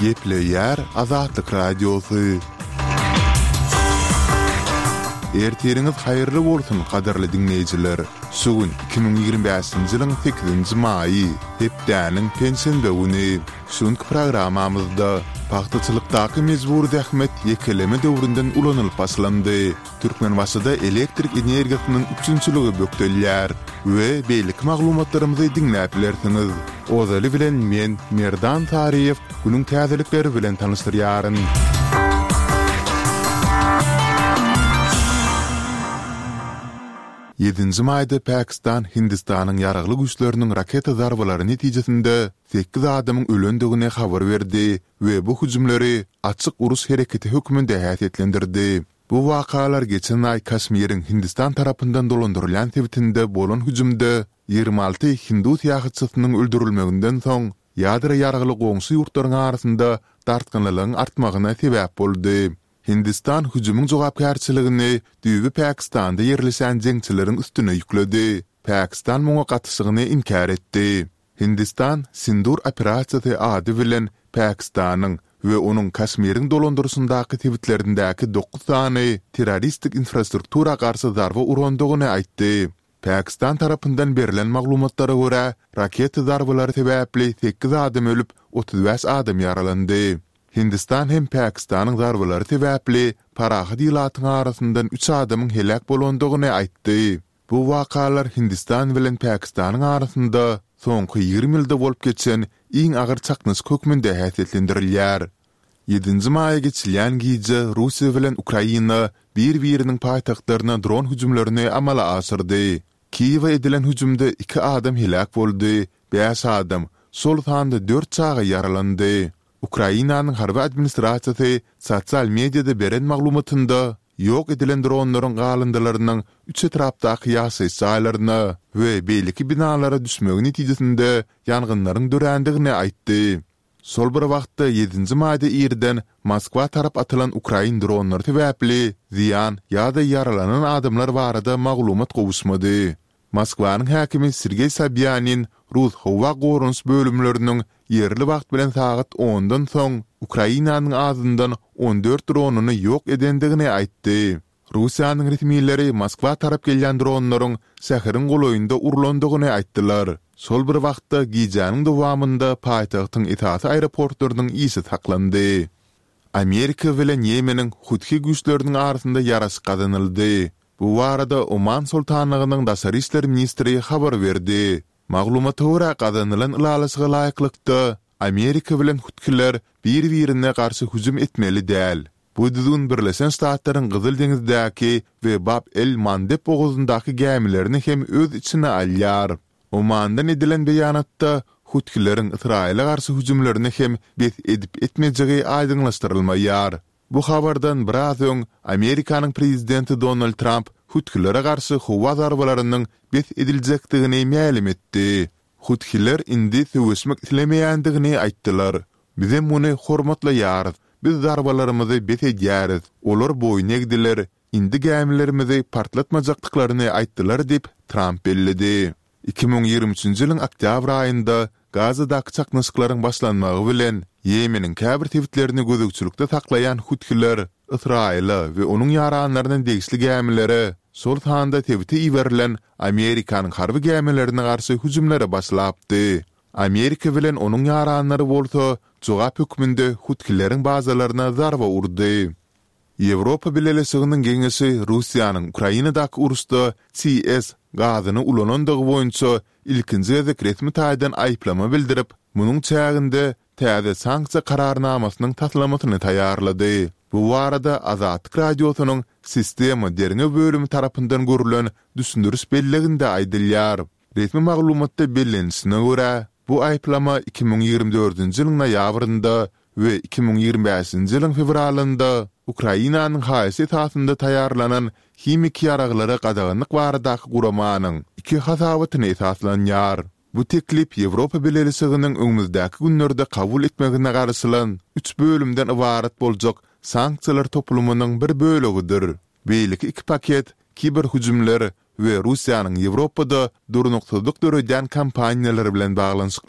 Gepleýär Azatlyk Radiosy. Ertiriňiz haýyrly bolsun, gadyrly diňleýjiler! Şu gün 2025-nji ýylyň sekizinji maýy, hepdäniň penşenbe güni. Şu günki programmamyzda pagtaçylykdaky mejbury zähmet ýekeleme döwründen ulanylyp başlandy. Türkmenbaşyda elektrik energiýasynyň üpjünçiligi bökdelýär we beýleki maglumatlarymyzy diňläp bilersiňiz. Ozaly bilen men, Merdan Saryýew, günüň täzelikleri bilen tanyşdyrýaryn. Ýedinji maýda Pakistan Hindistanyň ýaragly güýçleriniň raketa zarbalary netijesinde sekiz adamyň ölendigini habar berdi we bu hüjümleri açyk uruş hereketi hökmünde häsiýetlendirdi. Bu wakalar geçen aý Kaşmiriň Hindistan tarapyndan dolandyrylýan sebitinde bolan hüjümde 26 hindu syýahatçysynyň öldürilmeginden soň, ýadro ýaragly goňşy ýurtlaryň arasynda dartgynlylygyň artmagyna sebäp boldy. Hindistan hüjümiň jogapkärçiligini düýbi Pakistanda ýerleşen jeňçileriň üstüne ýükledi. Pakistan muňa gatyşygyny inkär etdi. Hindistan Sindur operasiýasy ady bilen Pakistanyň we onuň Kaşmiriň dolandyryşyndaky sebitlerindäki dokuz sany terroristik infrastruktura garşy zarba urandygyny aýtdy. Pakistan tarapyndan berlen maglumatlara görä, raketa zarbalary sebäpli sekiz adam ölüp, 35 adam ýaralandy. Hindistan hem Pakistanyň zarbalary sebäpli parahat ilatyň arasyndan üç adamyň heläk bolandygyny aýtdy. Bu wakalar Hindistan bilen Pakistanyň arasynda soňky 20 ýylda bolup geçen iň agyr çaknyşyk hökmünde häsiýetlendirilýär. Ýedinji maýa geçilýän gije Russiýa bilen Ukraina bir-biriniň paýtagtlaryna dron hüjümlerini amala aşyrdy. Kiýewe edilen hüjümde iki adam heläk boldy, bäş adam, şol sanda dört çaga ýaralandy. Ukrainanyň harby administrasiýasy sosial mediada beren maglumatynda ýok edilen dronlaryň galyndylarynyň üç etrapdaky ýaşaýyş jaýlaryna we beýleki binalara düşmegi netijesinde ýangynlaryň dörändigini aýtdy. Şol bir wagtda, ýedinji maýda irden Moskwa tarap atylan ukrain dronlary sebäpli zyýan ýa-da ýaralanan adamlar barada maglumat gowuşmady. Moskwanyň häkimi Sergeý Sobýanin rus howa goranyş bölümleriniň ýerli wagt bilen sagat ondan soň Ukrainanyň azyndan 14 dronyny ýok edendigini aýtdy. Russiýanyň resmileri Moskwa tarap gelýän dronlaryň şäheriň golaýynda urlandygyny aýtdylar. Şol bir wagtda, gijäniň dowamynda paýtagtyň esasy aeroportlarynyň işi saklandy. Amerika bilen Ýemeniň Huthi güýçleriniň arasynda ýaraşyk gazanyldy. Bu barada Oman Soltanlygynyň daşary işler ministri habar berdi. Maglumata görä, gazanylan ylalaşyga laýyklykda, Amerika bilen huthiler bir-birine garşy hüjüm etmeli däl. Bu düzgün Birleşen Ştatlaryň Gyzyl deňizdäki we Bab el-Mandeb bogazyndaky gämilerini hem öz içine alýar. Omandan edilen beýanatda huthileriň Ysraýyla garşy hüjümlerini hem bes edip-etmejegi aýdyňlaşdyrylmaýar. Bu habardan biraz öň Amerikanyň prezidenti Donald Tramp huthilere garşy howa zarbalarynyň bes ediljekdigini mälim etdi. Huthiler indi söweşmek islemeýändigini aýtdylar. Bizem muny hormatlaýarys. Biz zarbalarymyzy bes edýäris. Olar boýun egdiler, indi gämilerimizi partlatmajakdyklaryny aýtdylar diýip, Tramp belledi. 2023-nji ýylyň oktýabr aýynda Gazadaky çaknyşyklaryň başlanmagy bilen, Ýemeniň käbir sebitlerini gözegçilikde saklaýan huthiler Ysraýyla we onuň ýaranlaryna degişli gämilere, şol sanda sebite iberilen Amerikanyň harby gämilerine garşy hüjümlere başlapdy. Amerika bilen onuň ýaranlary bolsa jogap hökmünde huthileriň bazalaryna zarba urdy. Ýewropa Bileleşiginiň Geňeşi Russiýanyň Ukrainadaky uruşda TS gazyny ulanandygy boýunça ilkinji gezek resmi taýdan aýyplama bildirip, munuň çäginde täze sanksiýa kararnamasynyň taslamasyny taýýarlady. Bu barada Azatlyk Radiosynyň Sistema derňew bölümi tarapyndan görlen düşündiriş belliginde aýdylýar. Resmi maglumatda bellenilişine görä, bu aýyplama 2024-nji ýylyň noýabrynda we 2025-nji ýylyň fewralynda Ukrainanyň haýyşy esasynda taýýarlanan himiki ýaraglara gadaganlyk baradaky guramanyň iki hasabatyna esaslanýar. Bu teklip Ýewropa Bileleşiginiň öňümizdäki günlerde kabul etmegine garaşylan üç bölümden ybarat boljak sanksiýalar toplumynyň bir bölegidir. Beýleki iki paket kiberhüjümler we Russiýanyň Ýewropada durnuksyzlyk döredýän kampaniýalary bilen baglanyşykly.